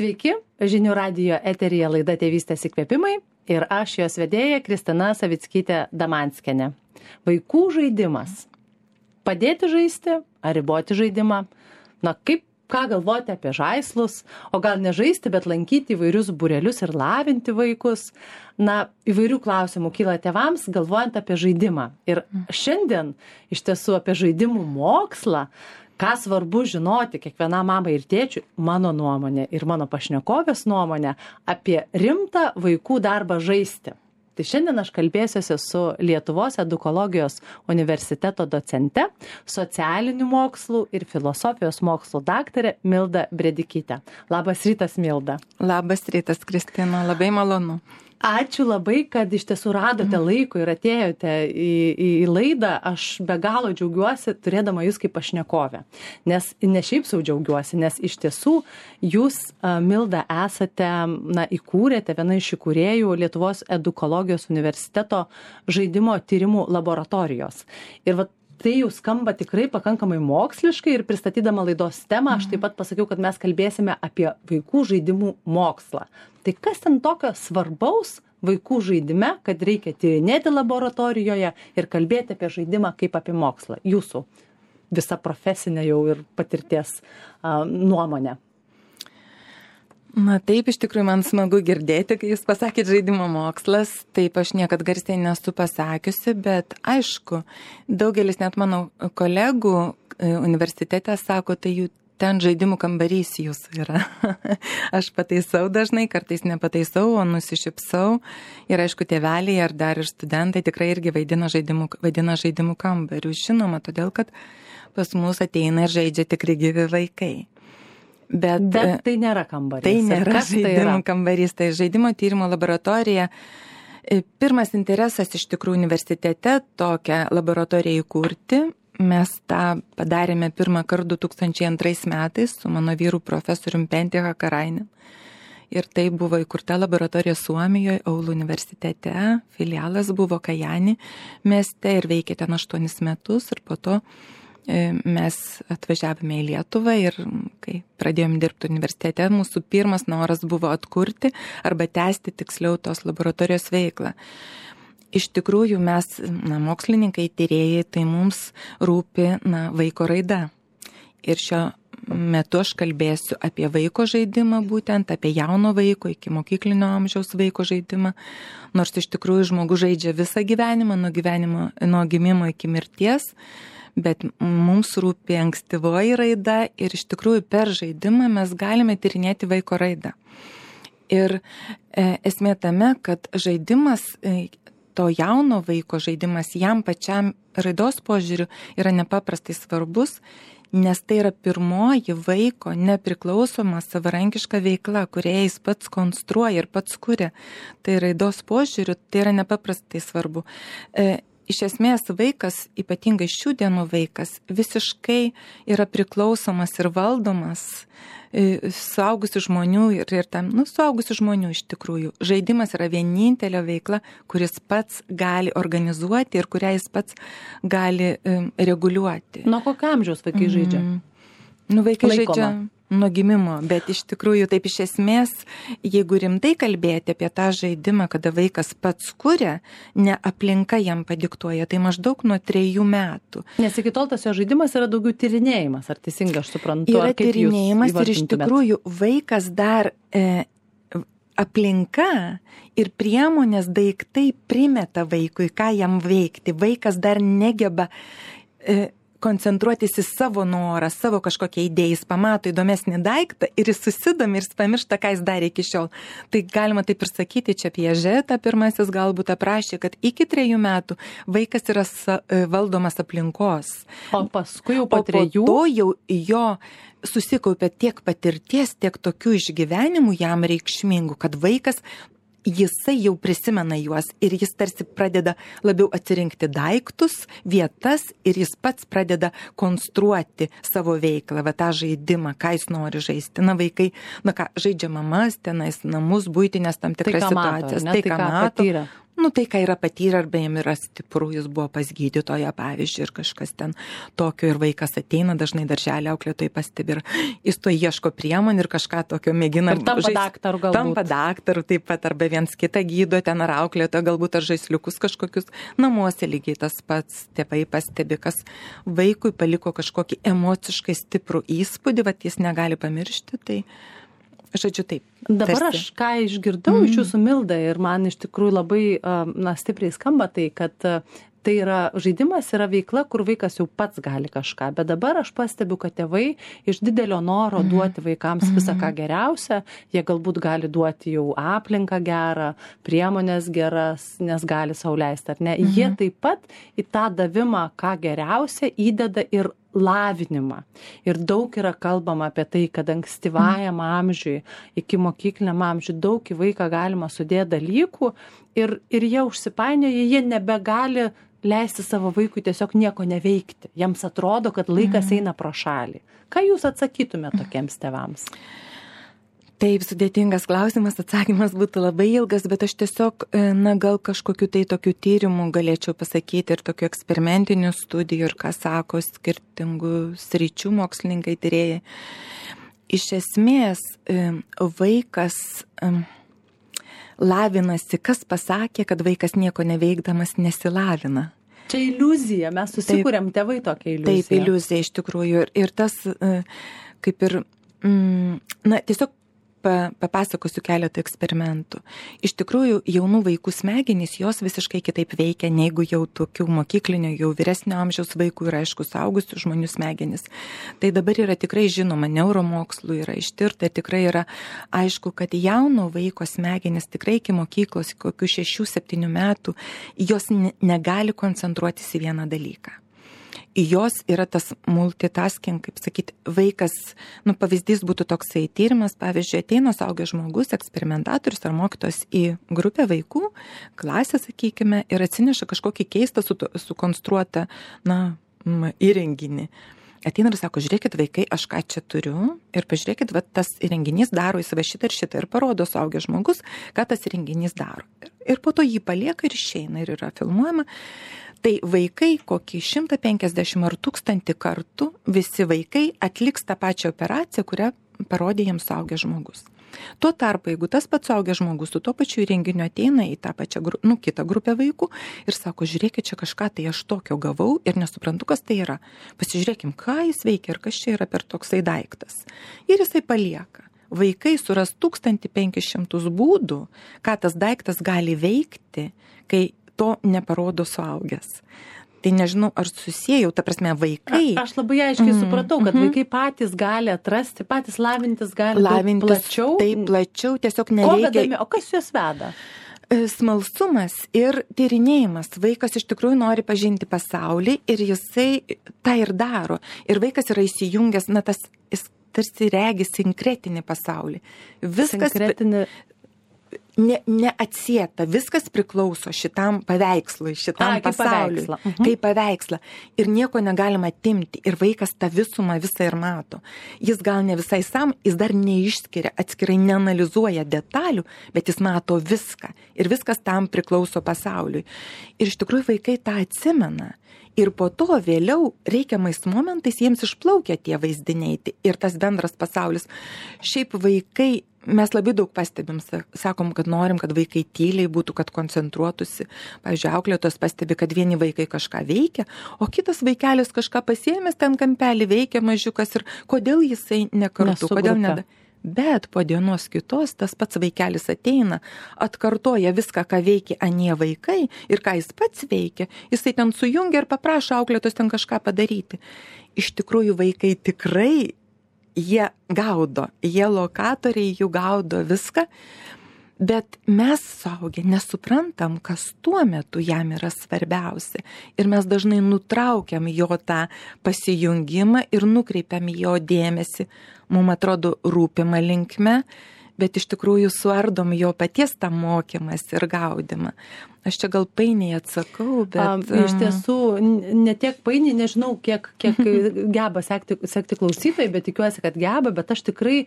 Sveiki, žinių radijo eteryje laida Tėvystės įkvėpimai ir aš jos vedėja Kristina Savickytė Damanskienė. Vaikų žaidimas. Padėti žaisti ar riboti žaidimą? Ką galvoti apie žaislus, o gal ne žaisti, bet lankyti įvairius būrelius ir lavinti vaikus. Įvairių klausimų kyla tėvams, galvojant apie žaidimą. Ir šiandien iš tiesų apie žaidimų mokslą, ką svarbu žinoti kiekvienam mamai ir tėčiui, mano nuomonė ir mano pašnekovės nuomonė apie rimtą vaikų darbą žaisti. Tai šiandien aš kalbėsiuosi su Lietuvos edukologijos universiteto docente, socialinių mokslų ir filosofijos mokslų daktare Milda Bredikytė. Labas rytas, Milda. Labas rytas, Kristina, labai malonu. Ačiū labai, kad iš tiesų radote laiko ir atėjote į laidą. Aš be galo džiaugiuosi turėdama jūs kaip pašnekovę. Nes ne šiaip sau džiaugiuosi, nes iš tiesų jūs, Milda, esate, įkūrėte viena iš įkūrėjų Lietuvos edukologijos universiteto žaidimo tyrimų laboratorijos. Ir tai jau skamba tikrai pakankamai moksliškai ir pristatydama laidos temą, aš taip pat pasakiau, kad mes kalbėsime apie vaikų žaidimų mokslą. Tai kas ten tokio svarbaus vaikų žaidime, kad reikia tyrinėti laboratorijoje ir kalbėti apie žaidimą kaip apie mokslą? Jūsų visa profesinė jau ir patirties nuomonė. Taip, iš tikrųjų man smagu girdėti, kai jūs pasakėt žaidimo mokslas. Taip, aš niekad garsiai nesu pasakiusi, bet aišku, daugelis net mano kolegų universitete sako, tai jų ten žaidimų kambarys jūsų yra. Aš pataisau dažnai, kartais nepataisau, o nusišypsau. Ir aišku, tėveliai ar dar ir studentai tikrai irgi vadina žaidimų kambarių. Žinoma, todėl, kad pas mus ateina ir žaidžia tikri gyvi vaikai. Bet tai nėra kambarys. Tai nėra žaidimų kambarys, tai žaidimo tyrimo laboratorija. Pirmas interesas iš tikrųjų universitete tokią laboratoriją įkurti. Mes tą padarėme pirmą kartą 2002 metais su mano vyru profesorium Pentti Hakarainen. Ir tai buvo įkurta laboratorija Suomijoje, Oulu universitete. Filialas buvo Kajani mieste ir veikė ten 8 metus. Ir po to mes atvažiavome į Lietuvą ir kai pradėjome dirbti universitete, mūsų pirmas noras buvo atkurti arba tęsti tiksliau tos laboratorijos veiklą. Iš tikrųjų mes, mokslininkai, tyrėjai, tai mums rūpi vaiko raida. Ir šiuo metu aš kalbėsiu apie vaiko žaidimą, būtent apie jauno vaiko iki mokyklinio amžiaus vaiko žaidimą. Nors iš tikrųjų žmogus žaidžia visą gyvenimą, nuo gimimo iki mirties. Bet mums rūpi ankstyvoji raida ir iš tikrųjų per žaidimą mes galime tyrinėti vaiko raidą. Ir esmė tame, kad žaidimas, to jauno vaiko žaidimas jam pačiam raidos požiūriu yra nepaprastai svarbus, nes tai yra pirmoji vaiko nepriklausoma savarankiška veikla, kurią jis pats konstruoja ir pats kuria. Tai raidos požiūriu tai yra nepaprastai svarbu. Iš esmės vaikas, ypatingai šių dienų vaikas, visiškai yra priklausomas ir valdomas suaugusių žmonių ir tam, suaugusių žmonių iš tikrųjų. Žaidimas yra vienintelė veikla, kuris pats gali organizuoti ir kurią jis pats gali reguliuoti. Nuo kokio amžiaus vaikai žaidžia? Vaikai žaidžia nuo gimimo, bet iš tikrųjų taip iš esmės, jeigu rimtai kalbėti apie tą žaidimą, kada vaikas pats kuria, ne aplinka jam padiktuoja, tai maždaug nuo 3 metų. Nes iki tol tas jo žaidimas yra daugiau tyrinėjimas, ar teisingai aš suprantu? Yra tyrinėjimas ir iš tikrųjų vaikas dar aplinka ir priemonės daiktai primeta vaikui, ką jam veikti. Vaikas dar negeba koncentruotis į savo norą, savo kažkokią idėją, jis pamato įdomesnį daiktą ir jis susidomi ir jis pamiršta, ką jis darė iki šiol. Tai galima taip ir sakyti, čia Piažetą pirmasis galbūt aprašė, kad iki 3 metų vaikas yra valdomas aplinkos. O paskui jau po 3? O po to jau jo susikaupia tiek patirties, tiek tokių išgyvenimų jam reikšmingų, kad vaikas jisai jau prisimena juos ir jis tarsi pradeda labiau atsirinkti daiktus, vietas ir jis pats pradeda konstruoti savo veiklą, tą žaidimą, ką jis nori žaisti. Vaikai, žaidžia mamas, tenais namus, buitinės tam tikras situacijas. Tai ką mato. tai, ką yra patyrę, arba jam yra stipru, jis buvo pas gydytoją, pavyzdžiui, ir kažkas ten tokio, ir vaikas ateina, dažnai darželį auklėtojai pastebi, ir jis to ieško priemonių ir kažką tokio mėgina. Ir tampa daktaru galbūt. Tampa daktaru taip pat, arba viens kitą gydo ten, ar auklėtoją, galbūt ar žaisliukus kažkokius. Namuose lygiai tas pats, tėvai pastebi, kas vaikui paliko kažkokį emociškai stiprų įspūdį, vat jis negali pamiršti, tai žodžiu taip. Dabar aš ką išgirdau iš jūsų, Milda, ir man iš tikrųjų labai stipriai skamba tai, kad tai yra žaidimas, yra veikla, kur vaikas jau pats gali kažką, bet dabar aš pastebiu, kad tėvai iš didelio noro duoti vaikams visą ką geriausia, jie galbūt gali duoti jau aplinką gerą, priemonės geras, nes gali sau leisti, ar ne? Jie taip pat į tą davimą ką geriausia įdeda ir lavinimą. Ir daug yra kalbama apie tai, kad ankstyvajam amžiui, iki mokykliniam amžiui daug į vaiką galima sudėti dalykų ir jie užsipainioja, jie nebegali leisti savo vaikui tiesiog nieko neveikti. Jiems atrodo, kad laikas eina pro šalį. Ką jūs atsakytumėte tokiems tėvams? Taip, sudėtingas klausimas, atsakymas būtų labai ilgas, bet aš tiesiog, gal kažkokiu tai tokiu tyrimu galėčiau pasakyti ir tokiu eksperimentiniu studijų ir ką sako skirtingų sričių mokslininkai tyrėjai. Iš esmės, vaikas lavinasi, kas pasakė, kad vaikas nieko neveikdamas nesilavina. Čia iliuzija, mes susikūrėm tėvai tokią iliuziją. Taip, iliuzija iš tikrųjų. Ir tas, kaip ir, tiesiog papasakosiu keletą eksperimentų. Iš tikrųjų, jaunų vaikų smegenys, jos visiškai kitaip veikia, negu jau tokių mokyklinio, jau vyresnio amžiaus vaikų ir aišku, suaugusių žmonių smegenys. Tai dabar yra tikrai žinoma, neuromokslų yra ištirta, tikrai yra aišku, kad jauno vaiko smegenys tikrai iki mokyklos, kokių 6-7 metų, jos negali koncentruotis į vieną dalyką. Jos yra tas multitasking, kaip sakyti, vaikas, pavyzdys būtų toksai tyrimas, pavyzdžiui, ateina suaugęs žmogus, eksperimentatorius ar mokytojas į grupę vaikų, klasę, sakykime, ir atsineša kažkokį keistą sukonstruotą, įrenginį. Ateina ir sako, žiūrėkit vaikai, aš ką čia turiu ir pažiūrėkit, tas įrenginys daro įsivę šitą ir šitą ir parodo suaugęs žmogus, ką tas įrenginys daro. Ir po to jį palieka ir išeina ir yra filmuojama. Tai vaikai kokį 150 ar 1000 kartų visi vaikai atliks tą pačią operaciją, kurią parodė jiems suaugęs žmogus. Tuo tarpu, jeigu tas pats suaugęs žmogus su tuo pačiu įrenginiu ateina į tą pačią kitą grupę vaikų ir sako, žiūrėkit, čia kažką tai aš tokio gavau ir nesuprantu, kas tai yra. Pasižiūrėkim, ką jis veikia ir kas čia yra per toksai daiktas. Ir jisai palieka. Vaikai suras 1500 būdų, ką tas daiktas gali veikti, kai to neparodo suaugęs. Tai nežinau, ar susijau, ta prasme, vaikai. Aš labai aiškiai supratau, kad vaikai patys gali atrasti, patys lavintis gali plačiau. Taip, plačiau, tiesiog nereikia. O kas juos veda? Smalsumas ir tyrinėjimas. Vaikas iš tikrųjų nori pažinti pasaulį ir jisai tą ir daro. Ir vaikas yra įsijungęs, jis tarsi regi sinkretinį pasaulį. Viskas neatsieta, viskas priklauso šitam paveikslui, šitam pasauliui. Kaip paveikslą. Ir nieko negalima atimti. Ir vaikas tą visumą visą ir mato. Jis gal ne visai jis dar neišskiria, atskirai neanalizuoja detalių, bet jis mato viską. Ir viskas tam priklauso pasauliui. Ir iš tikrųjų vaikai tą atsimena. Ir po to vėliau reikiamais momentais jiems išplaukia tie vaizdiniai ir tas bendras pasaulis. Šiaip vaikai, mes labai daug pastebim, sakom, kad norim, kad vaikai tyliai būtų, kad koncentruotųsi. Pavyzdžiui, auklėtojos pastebi, kad vieni vaikai kažką veikia, o kitas vaikelis kažką pasiėmęs ten kampelį veikia mažiukas ir kodėl jisai nekartu, kodėl neda. Bet po dienos kitos tas pats vaikelis ateina, atkartoja viską, ką veikia anie vaikai ir ką jis pats veikia, jisai ten sujungia ir paprašo auklėtos ten kažką padaryti. Iš tikrųjų vaikai tikrai, jie gaudo, jie lokatoriai jų gaudo viską, bet mes suaugę nesuprantam, kas tuo metu jam yra svarbiausia. Ir mes dažnai nutraukiam jo tą pasijungimą ir nukreipiam jo dėmesį, mums atrodo rūpimą linkme, bet iš tikrųjų suardom jo paties tą mokymas ir gaudimą. Aš čia gal painiai atsakau, bet... Iš tiesų, ne tiek painiai, nežinau, kiek geba sekti klausytojai, bet tikiuosi, kad geba, bet aš tikrai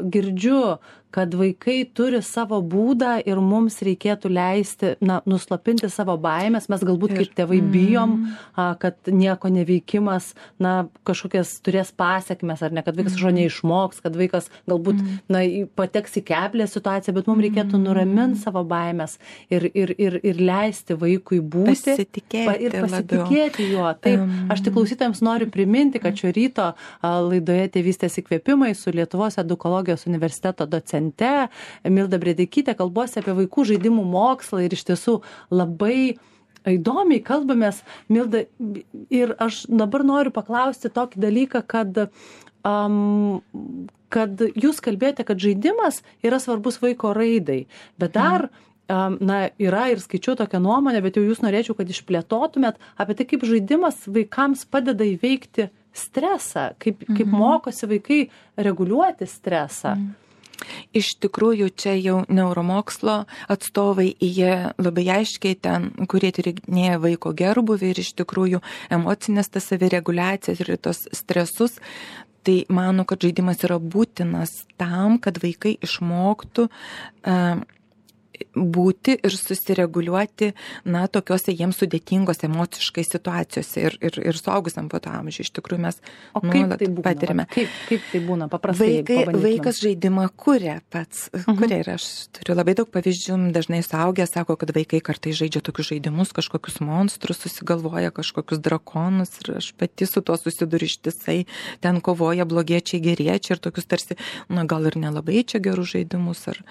girdžiu, kad vaikai turi savo būdą ir mums reikėtų leisti, nuslopinti savo baimės. Mes galbūt kaip tėvai bijom, kad nieko neveikimas, kažkokias turės pasiekmes, ar ne, kad vaikas kažko neišmoks, kad vaikas galbūt, pateks į keblę situaciją, bet mums reikėtų nuraminti savo baimės ir leisti vaikui būti ir pasitikėti juo. Taip, aš tik klausytojams noriu priminti, kad šio ryto laidoje Tėvystės įkvėpimai su Lietuvos edukologijos universiteto docente Milda Brėdikytė kalbuosi apie vaikų žaidimų mokslą ir iš tiesų labai įdomiai kalbamės, Milda, ir aš dabar noriu paklausti tokį dalyką, kad jūs kalbėjote, kad žaidimas yra svarbus vaiko raidai, bet dar yra ir skaičiau tokią nuomonę, bet jau jūs norėčiau, kad išplėtotumėt apie tai, kaip žaidimas vaikams padeda įveikti stresą, kaip mokosi vaikai reguliuoti stresą. Iš tikrųjų, čia jau neuromokslo atstovai, jie labai aiškiai ten, kurie tyrinėja vaiko gerbuvį ir iš tikrųjų emocinės tas savireguliacijas ir tos stresus, tai mano, kad žaidimas yra būtinas tam, kad vaikai išmoktų būti ir susireguliuoti, tokiose jiems sudėtingose emociškai situacijose ir suaugusiam po to amžiui. Iš tikrųjų mes patirime. Kaip tai būna paprastai? Vaikas žaidimą kuria pats. Kuria ir aš turiu labai daug pavyzdžių, dažnai suaugę sako, kad vaikai kartais žaidžia tokius žaidimus, kažkokius monstrus, susigalvoja kažkokius drakonus ir aš pati su tuo susiduriu ištisai, ten kovoja blogiečiai, geriečiai ir tokius tarsi, gal ir nelabai čia gerus žaidimus ar...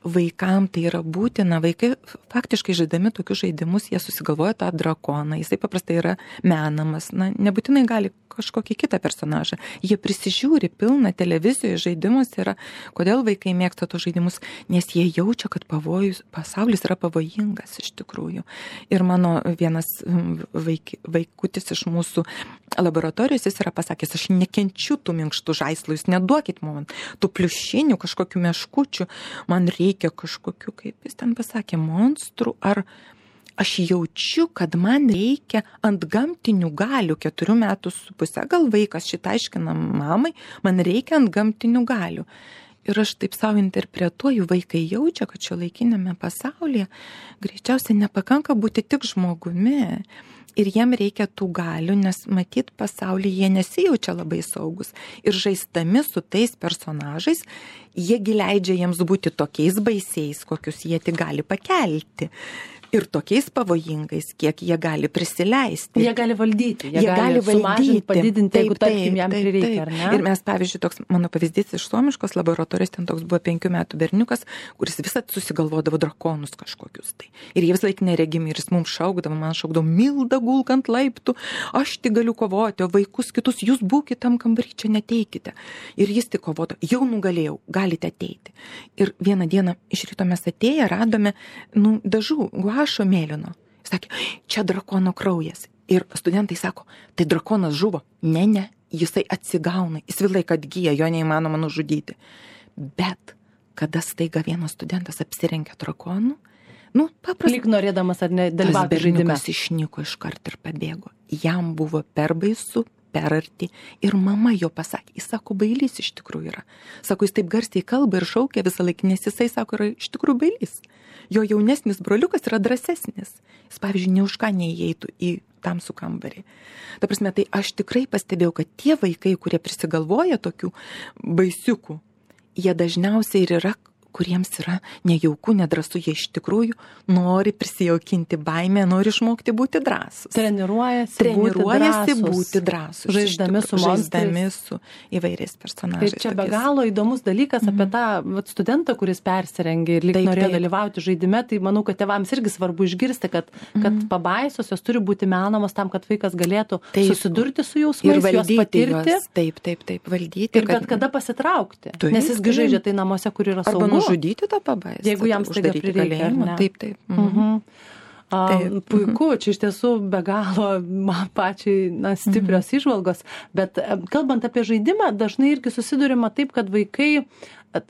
Vaikam tai yra būtina, vaikai faktiškai žaidami tokius žaidimus, jie susigalvoja tą drakoną, jisai paprastai yra menamas, nebūtinai gali kažkokį kitą personažą, jie prisižiūri pilną televizijoje žaidimus yra, kodėl vaikai mėgsta tos žaidimus, nes jie jaučia, kad pasaulis yra pavojingas iš tikrųjų. Ir mano vienas vaikutis iš mūsų laboratorijos, jis yra pasakęs, aš nekenčiu tų minkštų žaislų, jūs neduokit man tų pliušinių, kažkokių meškučių, man reikia kažkokių, kaip jis ten pasakė, monstrų, ar aš jaučiu, kad man reikia ant gamtinių galių, 4,5 metų, gal vaikas šitą aiškina mamai, man reikia ant gamtinių galių. Ir aš taip savo interpretuoju, vaikai jaučia, kad šiuolaikiniame pasaulyje greičiausiai nepakanka būti tik žmogumi. Ir jiem reikia tų galių, nes matyt pasaulyje jie nesijaučia labai saugus. Ir žaisdami su tais personažais, jiegi leidžia jiems būti tokiais baisiais, kokius jie tik gali pakelti. Ir tokiais pavojingais, kiek jie gali prisileisti. Jie gali valdyti, jie gali sumažinti, padidinti, jeigu tarkim jam prireikia, ar ne? Ir mes, pavyzdžiui, toks mano pavyzdys iš suomiškos laboratorijos, ten toks buvo 5 metų berniukas, kuris visat susigalvodavo drakonus kažkokius. Tai. Ir jie vis laik neregimi, ir jis mums šaukdavo, man šaukdavo, Milda, gulk ant laiptų, aš tik galiu kovoti, o vaikus kitus, jūs būkite tam kambarį, čia neteikite. Ir jis tik kovodo, jau nugalėjau, galite ateiti. Ir vieną dieną iš ryto mes atėję radome, dažų, guašo mėlyno. Jis sakė, čia drakono kraujas. Ir studentai sako, tai drakonas žuvo. Ne, jisai atsigauna, jis vėl laik atgyja, jo neįmanoma nužudyti. Bet kada staiga vienas studentas apsirengia drakonu, paprastai. Lyg norėdamas ar ne dalyvauti žaidime. Tas berniukas išnyko iškart ir pabėgo. Jam buvo per baisu, per arti. Ir mama jo pasakė, jis sako, bailys iš tikrųjų yra. Sako, jis taip garsiai kalba ir šaukia visą laiką, nes jisai sako, yra iš tikrųjų bailys. Jo jaunesnis broliukas yra drąsesnis. Jis, pavyzdžiui, ne už ką neįeitų į tamsų kambarį. Ta prasme, tai aš tikrai pastebėjau, kad tie vaikai, kurie prisigalvoja tokių baisiukų, jie dažniausiai ir yra, kuriems yra nejauku, nedrąsu, jie iš tikrųjų nori prisijaukinti baimę, nori išmokti būti drąsūs. Treniruojasi būti drąsūs. Žaisdami su įvairiais personažais. Tai čia be galo įdomus dalykas apie tą studentą, kuris persirengė ir lyg norėjo dalyvauti žaidime, tai manau, kad tėvams irgi svarbu išgirsti, kad pabaisos jos turi būti menamos tam, kad vaikas galėtų susidurti su jausmais, juos patirti. Taip, valdyti. Ir bet kada pasitraukti. Nes jis žaidžia tai namuose, kur yra saugu. Žudyti tą pabaisą. Jeigu jam staiga prireikia. Taip. Puiku, čia iš tiesų be galo man pačiai stiprios įžvalgos, bet kalbant apie žaidimą, dažnai irgi susidurima taip, kad vaikai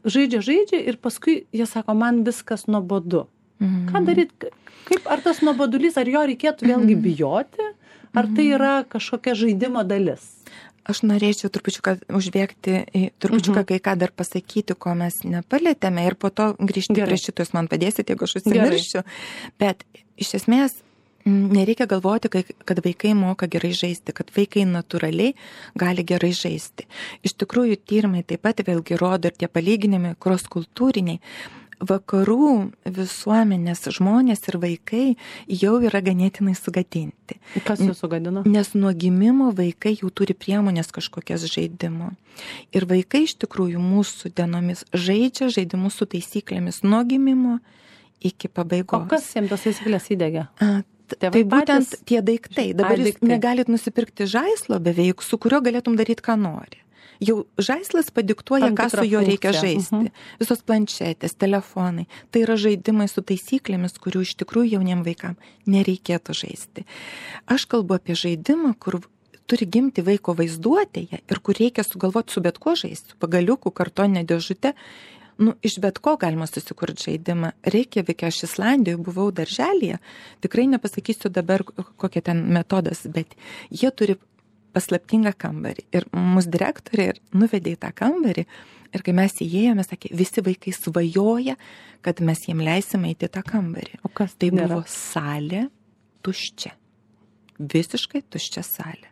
žaidžia ir paskui jie sako, man viskas nuobodu. Ką daryti? Ar tas nuobodulys, ar jo reikėtų vėlgi bijoti, ar tai yra kažkokia žaidimo dalis? Aš norėčiau trupučiuką užbėgti, trupučiuką kai ką dar pasakyti, ko mes nepalėtėme ir po to grįžti prie šito, jūs man padėsite, jeigu aš užsimiršiu. Bet iš esmės nereikia galvoti, kad vaikai moka gerai žaisti, kad vaikai natūraliai gali gerai žaisti. Iš tikrųjų, tyrimai taip pat vėlgi rodo ir tie palyginimai cross-kultūriniai. Vakarų visuomenės žmonės ir vaikai jau yra ganėtinai sugadinti. Kas jūs sugadino? Nes nuo gimimo vaikai jau turi priemonės kažkokias žaidimo. Ir vaikai iš tikrųjų mūsų dienomis žaidžia žaidimus su taisyklėmis nuo gimimo iki pabaigos. O kas jiems tos taisyklės įdėgia? Tai būtent tie daiktai. Dabar jūs negalit nusipirkti žaislo beveik, su kurio galėtum daryti, ką nori. Jau žaislas padiktuoja, ką su juo reikia žaisti. Visos planšetės, telefonai. Tai yra žaidimai su taisyklėmis, kurių iš tikrųjų jauniem vaikam nereikėtų žaisti. Aš kalbu apie žaidimą, kur turi gimti vaiko vaizduotėje ir kur reikia sugalvoti su bet kuo žaisti. Su pagaliuku, kartonė dėžute. Iš bet ko galima susikurti žaidimą. Reikjavike, aš Islandijoje buvau darželyje. Tikrai nepasakysiu dabar, kokia ten metodas, bet jie turi paslaptingą kambarį. Ir mūsų direktorė nuvedė į tą kambarį ir kai mes įėjome, sakė, visi vaikai svajoja, kad mes jiem leisime įti tą kambarį. O kas tai buvo? Salė tuščia. Visiškai tuščia salė.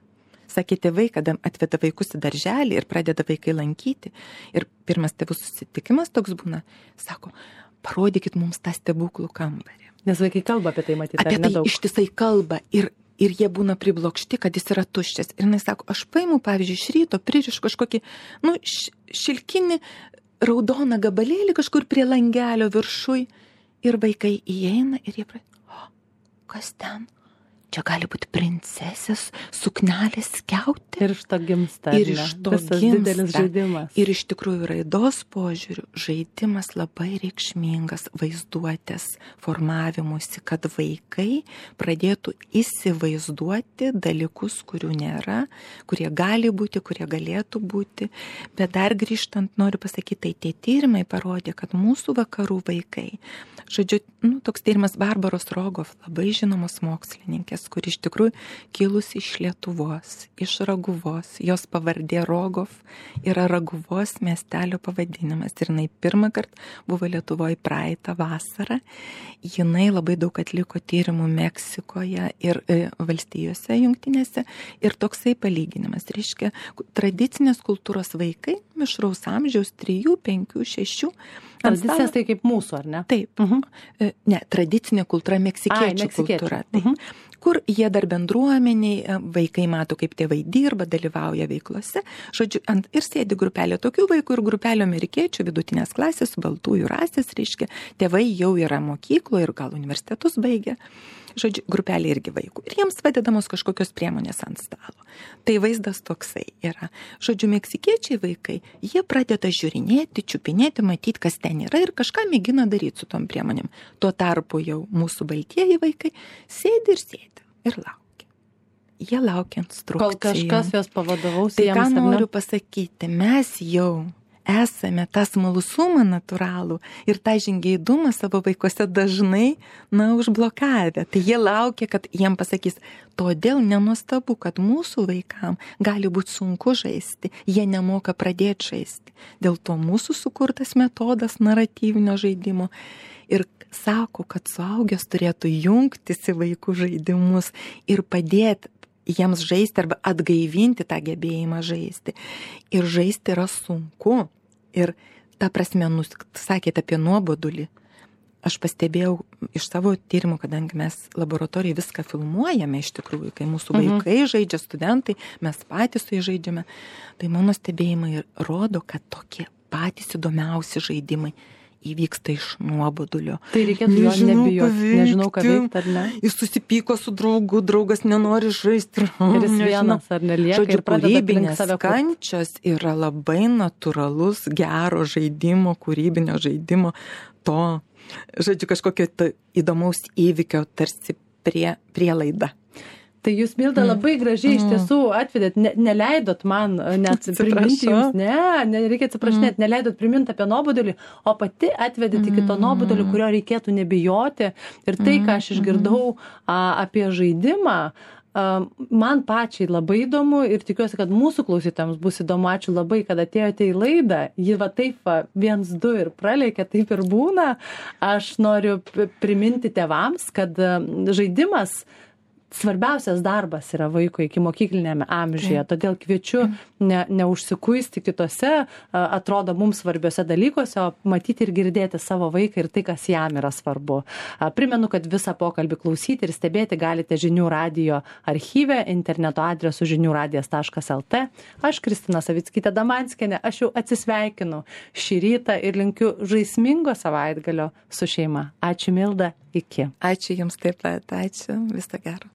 Sakė, tėvai, kada atveda vaikus į darželį ir pradeda vaikai lankyti. Ir pirmas tėvų susitikimas toks būna, sako, parodykit mums tą stebuklų kambarį. Nes vaikai kalba apie tai, matyti, apie tai ištisai kalba ir jie būna priblokšti, kad jis yra tuščias. Ir jis sako, aš paimu, pavyzdžiui, iš ryto pririšu kažkokį, šilkinį raudoną gabalėlį kažkur prie langelio viršui. Ir vaikai įeina ir jie pradeda, kas ten? Čia gali būti princesės, suknelės skiauti. Ir iš to gimsta. Ir iš to didelis žaidimas. Ir iš tikrųjų raidos požiūrių žaidimas labai reikšmingas vaizduotės formavimuisi, kad vaikai pradėtų įsivaizduoti dalykus, kurių nėra, kurie gali būti, kurie galėtų būti. Bet dar grįžtant, noriu pasakyti, tai tie tyrimai parodė, kad mūsų vakarų vaikai, žodžiu, toks tyrimas Barbaros Rogov, labai žinomos mokslininkės, kuri iš tikrųjų kilusi iš Lietuvos, iš Raguvos. Jos pavardė Rogov yra Raguvos miestelio pavadinimas. Ir jinai pirmą kartą buvo Lietuvoje praeitą vasarą. Jinai labai daug atliko tyrimų Meksikoje ir valstijose jungtinėse. Ir toksai palyginimas. Reiškia, tradicinės kultūros vaikai, mišraus amžiaus 3, 5, 6. Tradicinės tai kaip mūsų, ar ne? Taip. Ne, tradicinė kultūra, meksikiečių kultūra. Taip. Kur jie dar bendruomeniai, vaikai mato, kaip tėvai dirba, dalyvauja veiklose. Žodžiu, ir sėdi grupelė tokių vaikų ir grupelė amerikiečių vidutinės klasės, baltųjų rasės, reiškia, tėvai jau yra mokyklo ir gal universitetus baigia. Žodžiu, grupelė irgi vaikų. Ir jiems padedamos kažkokios priemonės ant stalo. Tai vaizdas toksai yra. Žodžiu, meksikiečiai vaikai, jie pradeda žiūrinėti, čiupinėti, matyti, kas ten yra ir kažką mėgina daryti su tom priemonėm. Tuo tarpu jau mūsų baltieji vaikai sėdi ir laukia. Jie laukia instrukcijų. Kol kažkas jos pavadaus tai jiems. Tai ką noriu pasakyti, mes jau esame tą smalsumą natūralų ir tą žingeidumą savo vaikuose dažnai, užblokavę. Tai jie laukia, kad jiem pasakys, todėl nenuostabu, kad mūsų vaikam gali būti sunku žaisti, jie nemoka pradėti žaisti. Dėl to mūsų sukurtas metodas naratyvinio žaidimo ir sako, kad suaugęs turėtų jungtis į vaikų žaidimus ir padėti jiems žaisti arba atgaivinti tą gebėjimą žaisti. Ir žaisti yra sunku. Ir ta prasme, sakėte apie nuobodulį. Aš pastebėjau iš savo tyrimų, kadangi mes laboratorijai viską filmuojame iš tikrųjų, kai mūsų vaikai žaidžia, studentai, mes patys su jais žaidžiame. Tai mano stebėjimai rodo, kad tokie patys įdomiausi žaidimai įvyksta iš nuobodulio. Tai reikėtų jo nebijoti, nežinau ką veikti ar ne. Jis susipyko su draugu, draugas nenori žaisti. Ir jis vienas ar nelieka. Žodžiu, kūrybinės kančios yra labai natūralus gero žaidimo, kūrybinio žaidimo, to, žodžiu, kažkokio įdomaus įvykio tarsi prielaida. Tai jūs, Milda, labai gražiai iš tiesų atvedėt, neleidot man net priminti jums, nereikia atsiprašinėti, neleidot priminti apie nuobodulį, o pati atvedėt iki to nuobodulį, kurio reikėtų nebijoti. Ir tai, ką aš išgirdau apie žaidimą, man pačiai labai įdomu ir tikiuosi, kad mūsų klausytojams bus įdomu. Ačiū labai, kad atėjote į laidą. Ji va taip 1-2 ir praleikė, taip ir būna. Aš noriu priminti tėvams, kad žaidimas svarbiausias darbas yra vaiko iki mokyklinėme amžiuje, todėl kviečiu neužsikuisti kitose, atrodo mums svarbiose dalykuose, o matyti ir girdėti savo vaiką ir tai, kas jam yra svarbu. Primenu, kad visą pokalbį klausyti ir stebėti galite Žinių radijo archyve, interneto adresu žiniųradijas.lt. Aš Kristina Savickytė Damanskienė, aš jau atsisveikinu šį rytą ir linkiu žaismingo savaitgalio su šeima. Ačiū, Milda, iki. Ačiū jums taip pat, ačiū, viso gero.